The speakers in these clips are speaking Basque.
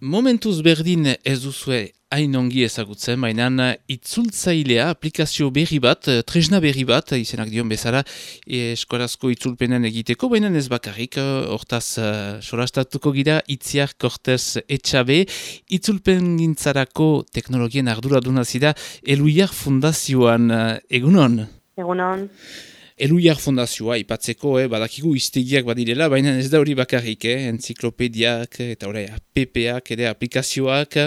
Momentuz berdin ez duzue hain ongi ezagutzen, baina itzultzailea, aplikazio berri bat, tresna berri bat, izenak dion bezala, eskorazko itzulpenen egiteko, baina ez bakarrik, hortaz solastatuko gira, Itziar Cortez Etxabe, itzulpen gintzarako teknologien arduraduna zira, Eluiar Fundazioan, egunon? Egunon. Eluiar Fundazioa ipatzeko, badakigu iztegiak badirela, baina ez da hori bakarrik, enziklopediak eta APP-ak ere aplikazioak,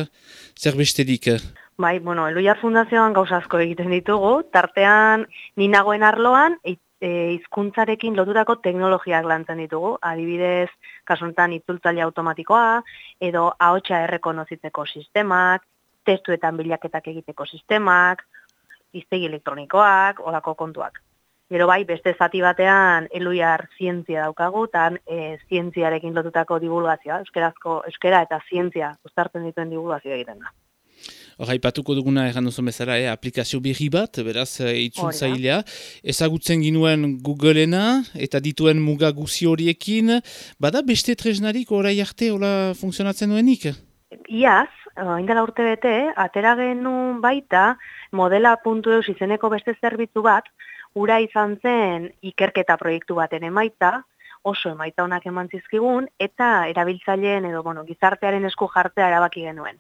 zer besterik? Bai, Eluiar Fundazioan gauza asko egiten ditugu, tartean ni nagoen arloan hizkuntzarekin lotutako teknologiak lantzen ditugu, adibidez, kasu honetan itzultzaile automatikoa, edo ahotsa errekonozitzeko sistemak, testuetan bilaketak egiteko sistemak, hiztegi elektronikoak, olako kontuak. Gero bai, beste zati batean Eluiar zientzia daukagu, eta zientziarekin lotutako divulgazioa, euskera eta zientzia uztartzen dituen divulgazioa egiten da. Hora, ipatuko duguna erran duzun bezala, aplikazio berri bat, beraz, itzultzailea. Ezagutzen ginuen Googleena eta dituen muga guzi horiekin, bada beste tresnarik orai arte hola funtzionatzen duenik? Iaz, indela urte bete, atera genuen baita modela.eus izeneko beste zerbitzu bat, ura izan zen ikerketa proiektu baten emaitza, oso emaitza onak eman zizkigun, eta erabiltzaileen edo gizartearen esku jartzea erabaki genuen.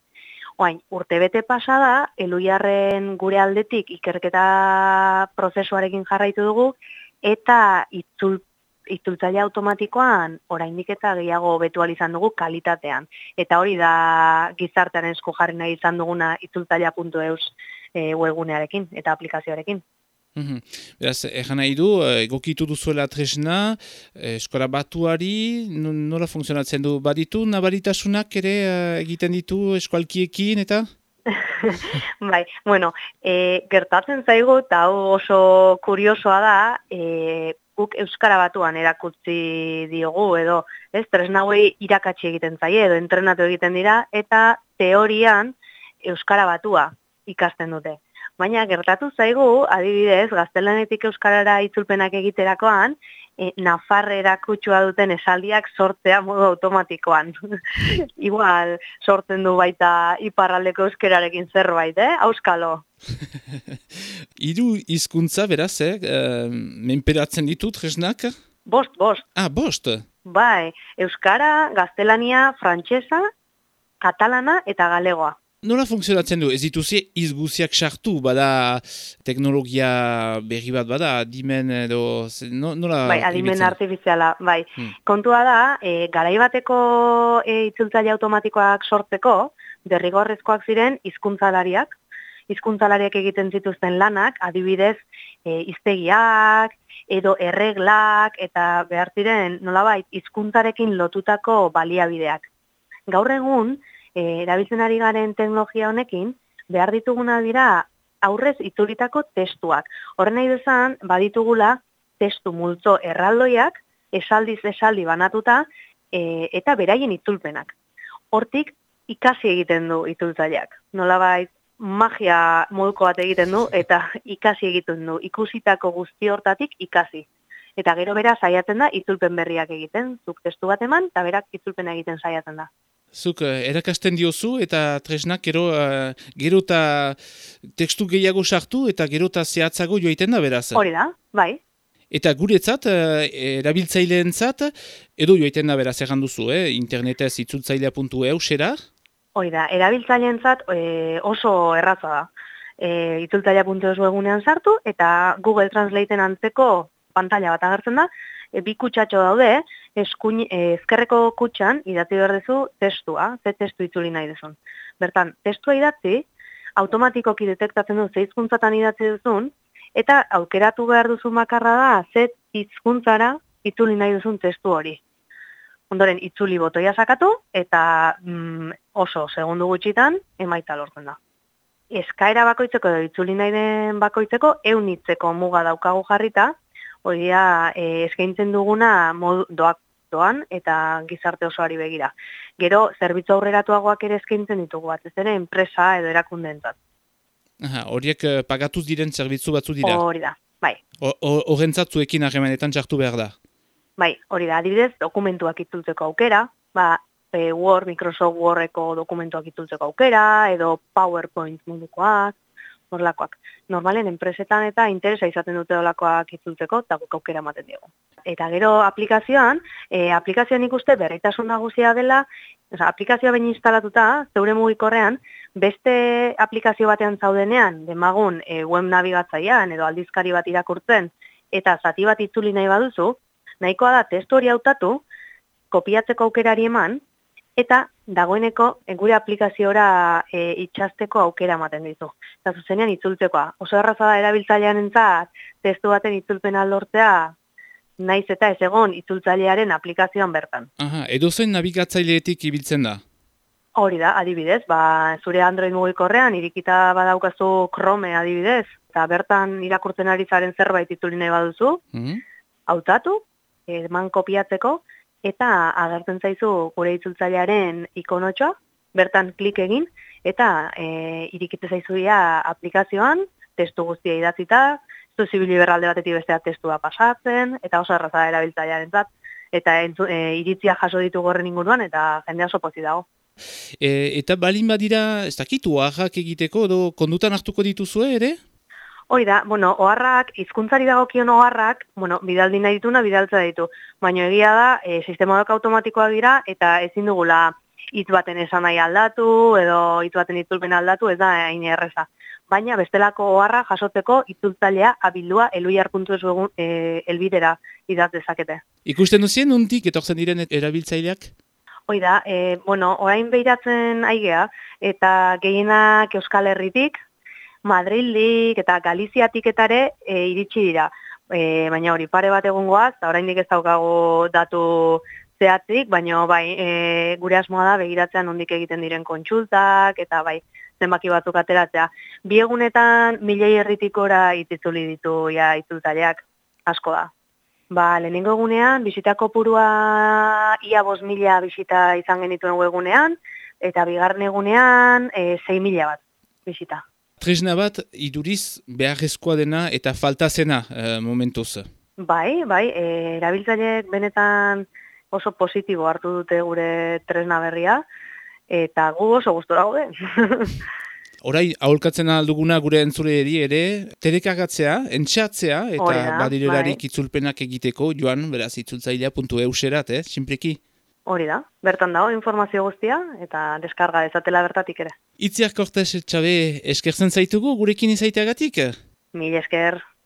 Oain, urtebete pasada, Eluiarren gure aldetik ikerketa prozesuarekin jarraitu dugu, eta itzultzaile automatikoan oraindik eta gehiago hobetu ahal izan dugu kalitatean. Eta hori da gizartearen esku jarri nahi izan duguna itzultzailea.eus webgunearekin eta aplikazioarekin. Beraz, egan nahi du, egokitu duzuela tresna, eskola batuari, nola funtzionatzen du? Baditu, nabaritasunak ere egiten ditu eskualkiekin eta? Bai, gertatzen zaigu, eta oso kuriosoa da, guk euskara batuan erakutsi diogu, edo tresna hauei irakatsi egiten zaie, edo entrenatu egiten dira, eta teorian euskara batua ikasten dute. Baina gertatu zaigu, adibidez, gaztelanetik euskarara itzulpenak egiterakoan, nafarrera kutsua duten esaldiak sortzea modu automatikoan. Igual sortzen du baita iparraldeko euskararekin zerbait, auskalo. Hiru hizkuntza beraz, menperatzen ditu tresnak? Bost. Ah, bost? Bai, euskara, gaztelania, frantsesa, katalana eta galegoa. Nola funtzionatzen du? Ez dituzi izguziak sartu, bada teknologia berri bat bada, adimen edo... Nola bai, adimen artifiziala, bai. Kontua da, garai bateko itzultzaile automatikoak sortzeko, derrigorrezkoak ziren hizkuntzalariak egiten zituzten lanak, adibidez, hiztegiak, edo erreglak, eta behar ziren, nolabait, hizkuntzarekin lotutako baliabideak. Gaur egun, erabiltzen ari garen teknologia honekin, behar dituguna dira aurrez itzulitako testuak. Horren nahi bezan, baditugula testu multzo erraldoiak, esaldiz esaldi banatuta, eta beraien itzulpenak. Hortik, ikasi egiten du itzultzaileak. Nolabait, magia moduko bat egiten du, eta ikasi egiten du. Ikusitako guzti hortatik ikasi. Eta gero bera saiatzen da, itzulpen berriak egiten. Zuk testu bat eman, eta berak itzulpena egiten saiatzen da. Zuk erakasten diozu eta tresnak gero eta tekstu gehiago sartu eta gero eta zehatzago joaiten da beraz. Hori da, bai. Eta guretzat, erabiltzaileentzat, edo joaiten da beraz egan duzu, internetez itzultzailea.eusera? Hori da, erabiltzaileentzat oso erraza da. Itzultzailea.eus webgunean sartu eta Google Translateen antzeko pantalla bat agertzen da, bi kutsatxo daude, ezkerreko kutxan idatzi behar duzu testua, ze testu itzuli nahi duzun. Bertan, testua idatzi, automatikoki detektatzen du ze hizkuntzatan idatzi duzun, eta aukeratu behar duzu makarra da, ze hizkuntzara itzuli nahi duzun testu hori. Ondoren, itzuli botoia sakatu, eta oso segundu gutxitan emaitza lortzen da. Eskaera bakoitzeko edo itzuli nahi den bakoitzeko, eunitzeko muga daukagu jarrita, hori da, eskaintzen duguna doan eta gizarte osoari begira. Gero, zerbitzu aurreratuagoak ere eskaintzen ditugu bat, ez ere enpresa edo erakundeentzat. Horiek pagatuz diren zerbitzu batzu dira? Hori da, bai. Horrentzat zuekin harremanetan txartu behar da? Bai, hori da, adibidez, dokumentuak itzultzeko aukera, Word, Microsoft Wordeko dokumentuak itzultzeko aukera, edo PowerPoint mundukoak, horlakoak. Normalen enpresetan eta interesa izaten dute olakoak itzultzeko, eta guk aukera ematen diegu. Eta gero aplikazioan ikuste berritasun nagusia dela, aplikazioa behin instalatuta, zeure mugikorrean, beste aplikazio batean zaudenean, demagun web nabigatzailean edo aldizkari bat irakurtzen, eta zati bat itzuli nahi baduzu, nahikoa da testu hori hautatu, kopiatzeko aukerari eman, eta dagoeneko gure aplikaziora itxasteko aukera ematen ditu. Eta zuzenean itzultzekoa. Oso erraza da erabiltzailean entzat, testu baten itzulpena lortzea, naiz eta ez egon itzultzailearen aplikazioan bertan. Aha, edozein nabigatzaileetik ibiltzen da? Hori da, adibidez, zure Android mugikorrean irikita badaukazu Chrome adibidez, eta bertan irakurtzen ari zaren zerbait itzuli nahi baduzu, hautatu, eman kopiatzeko, eta agertzen zaizu gure itzultzailearen ikonotxoa, bertan klik egin, eta irikite zaizuia aplikazioan, testu guztia idatzita, zibili berralde batetik bestea testua pasatzen, eta oso erraza da erabiltzailearen zat, eta iritzia jaso ditu gorren inguruan, eta jende oso pozik dago. Eta balin badira, ez dakit, oharrak egiteko, edo kondutan hartuko dituzue ere? Hori da, oharrak, hizkuntzari dagokion oharrak, bidaldi nahi dituna, bidaltza ditu. Baina egia da, sistemadak automatikoak dira, eta ezin dugula hitz baten esan nahi aldatu, edo hitz baten itzulpen aldatu, ez da hain erreza. Baina bestelako oharra jasotzeko itzultzailea abildua eluiar.eu elbidera idatz dezakete. Ikusten duzien, nondik etortzen diren erabiltzaileak? Hoi da, orain behiratzen aigea, eta gehienak Euskal Herritik, Madrildik eta Galiziatik etare iritsi dira. Baina hori pare bat egongoaz, eta oraindik ez daukagu datu zehatzik, baina gure asmoa da begiratzean nondik egiten diren kontsultak, eta zenbaki batzuk ateratzea. Bi egunetan 1000 herritikora itzuli ditu itzultzaileak, asko da. Lehenengo egunean, bisita kopurua ia 5.000 bisita izan genituen egunean, eta bigarren egunean 6.000 bat bisita. Tresna bat, iduriz beharrezkoa dena eta falta zena momentuz. Erabiltzaileek benetan oso positibo hartu dute gure tresna berria, eta gu oso gustora gaude. Orai, aholkatzen alduguna gure entzulei ere, telekargatzea, entxatzea, eta badirelarik itzulpenak egiteko, joan, beraz, itzultzailea.euserat, sinpleki? Hori da, bertan dago informazio guztia, eta deskarga dezatela bertatik ere. Itziar Kortes, Txabe, eskertzen zaitugu gurekin izaiteagatik? Mil esker.